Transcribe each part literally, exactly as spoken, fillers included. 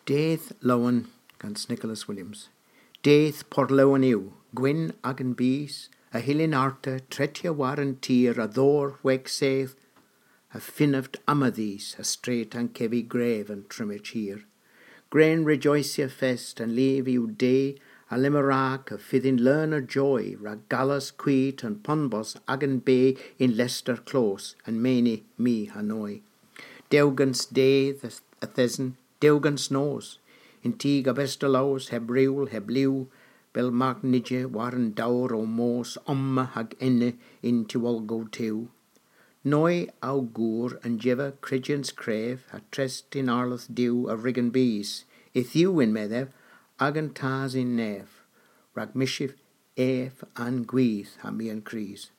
Dydh Lowen gans Nicholas Williams. Dydh Porlowen yw, gwynn agan bys, a hyllyn arta tretya war an tir a dhowr hwegh seyth, a fynnav omma dhis ha stret ankevi grev an trymmyrch hir. Gwren rejoycya fest an lev yw de, a lemmyn rag a fydhyn leun a joy rag gallas kwit an ponbos agan be yn lester klos an meni my ha noy. Dew gans dydh a, a thesen, dew gans nos, yn teg a best a lows heb riwl heb liw, bell mark nija war an dowr ow mos omma hag ena yn tiwolgow tew. Noy ow gour a'n jeva kryjyans krev ha trest yn Arlodh Duw a wrug an bys, yth yw yn-medh ev, agan Tas yn nev, rag mysyv ev a'n gwydh ha my a'n krys.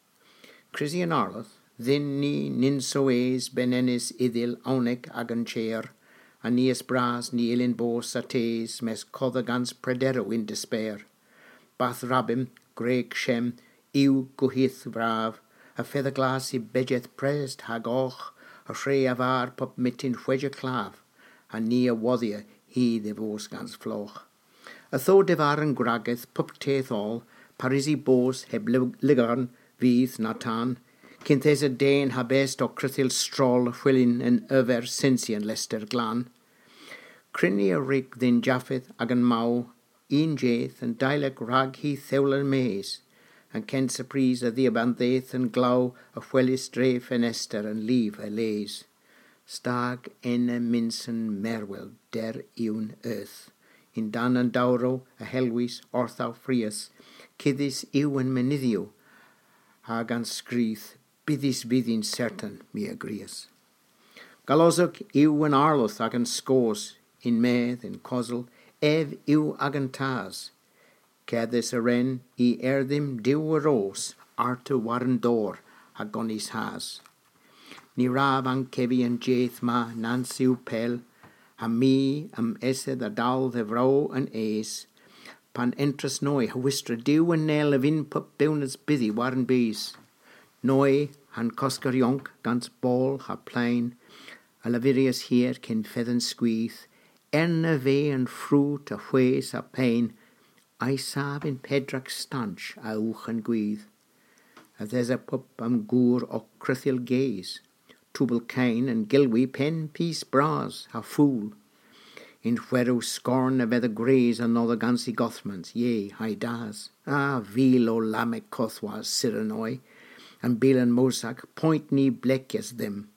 Krysi an Arlodh, dhyn ni nyns o es benenys ydhyl ownek agan cher, ha ni a's bras ny yllyn bos attes mes kodha gans prederow yn desper. Bath Rabbim, Greg Shem, yw gohydh vrav, ha fetha glas y bejeth prest hag ogh, ha hwre a-varr pub myttin hwegh a klav, ha ni a wodhya hi dhe vos gans flogh. Ytho devar an gwrageth pub teth oll, parys y bos heb ly-, lygarn, vydh na tan, kynth esa den ha best ow kruthyl stroll hwelyn an arver sensi an lester glan. Kryni a wrug dhyn Jafeth agan maw, unn jydh an deilyk rag hy thewlel mes, an kynsa prys a dhiabann dheth an glaw a hwelis dre fenester an liv a les. Stag ena myns an merwel der ewn euth. Yn-dann an dowrow a helwis orth ow frias, kudhys yw an menydhyow, hag an skryth, bydhys vydh yn sertan, my a grias. Galosek yw an Arlodh agan skos, yn-medh, yn kosel, ev yw agan Tas. Kerdhes a wren i er dhymm Duw a ros, arta war an dor ha gonis has. Ny wrav ankevi an jydh ma nans yw pell, ha my a'm esedh a-dal dhe vro an es, pan entras noy ha hwistra Duw an nel a vynn pub bewnans bydhi war an bys. Noy ha'n kosker yonk gans boll ha playn, a lavyryas hir kyn fedh an skwith, erna veu an frut a hwes ha peyn, a'y sav yn pedrek stanch a-ugh an gwydh. Yth esa pub a'm gour ow kruthyl ges. Tubal keyn a'n gelwi penn pys bras ha fool. Yn hwerow skorn a vedha gwrys anodho gans y godhmans, ye, ha'y das. A vil o lammek kothwas, sur an noy, an bilen mosak, poynt ny blekyas dhymm.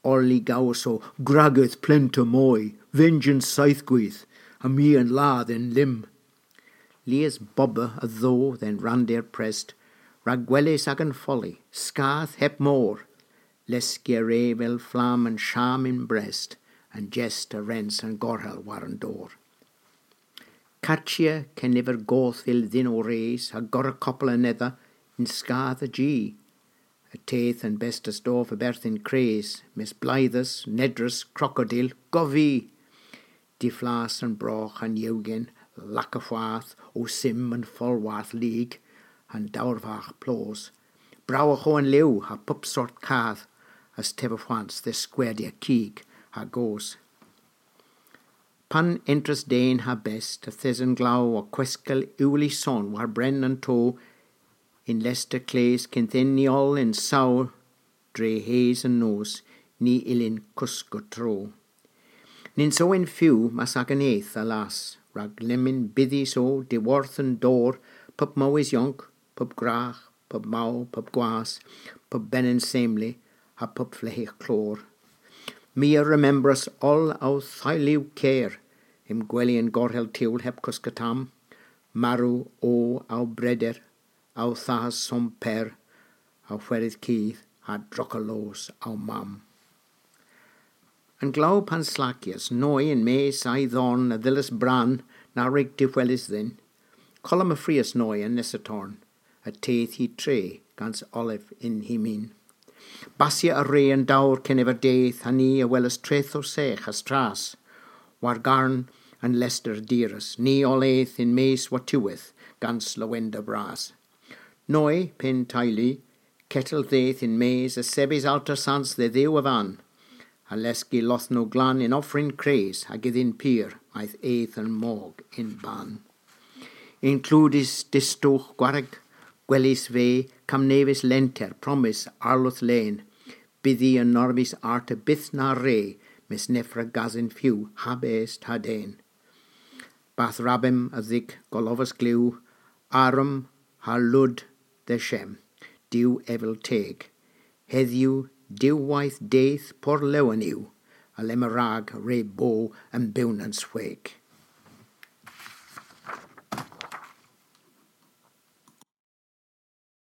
Oll y gowos o gwrageth plenta moy, venjans seythgwydh, ha my a'n lav dhe'n lymm. Lies bober a dho dhe'n randir prest, rag gweles agan folli, skath heb mor, leskya re avel flamm an sham yn brest, an jest a rens an gorhel war an dor. Kachya keniver goth yll dhyn ow res, ha gorra kopel anedha yn skath a ji. Y teuth an bestes dov a-berth yn kres, mes bleydhas, nedrys, krokodil, gov vy! Diflas an brogh ha'n yewghen, laka hwath, ow sym an foll warth lig, ha'n dowr vagh plos. Browagh o an lew ha pub sort kath, a's teva hwans dhe skerdya kig ha goos. Pan entras den ha best, yth esa an glaw ow kweskel ewli son war brenn an to, yn lester kles kynth eni oll yn saw dre hes an nos, ny yllyn koska tro. Nyns o en few mas agan eth, alas, rag lemmyn bydhys o dhiworth an dor, pub mowes yonk, pub gwragh, pub maw, pub gwas, pub benyn semli, ha pub fleghes klor. My a remembras oll ow theylu ker, yn gweli an gorhel tewl heb koska tamm, marw o ow breder, ow thas Somper, ow hweres kudh, ha drocka loos ow mamm. An glaw pan slakyas noy yn-mes a'y dhorn a dhyllas brann na wrug dehweles dhyn. Kolom a frias noy an nessa torn, ha teuth hi tre gans olev yn hy min. Basya a re an dowr keniver dydh ha ni a welas treth o segh ha stras. War garn an lester diras, ni oll eth yn-mes wattiwedh gans lowender bras. Noy, pynn teylu, kettel dheth yn-mes a sebis alter sans dhe Dhuw a-vann, ha leski lodhnow glan yn offrynn kres hag ydhyn pur a'th eth an mog yn bann. Yn kludys distowgh gwarg, gwelys vy, kamm nevys lenter, promys, arloedh len. Bydhi enormys arta byth na re, mes neffra gasen few, ha best ha den. Bath rabbim a dhygh golovas glew, arum ha lud dhe Shem, Duw evel teg. Hedhyw, diwweyth dydh porlowen yw, alemma rag re bo an bewnans hweg.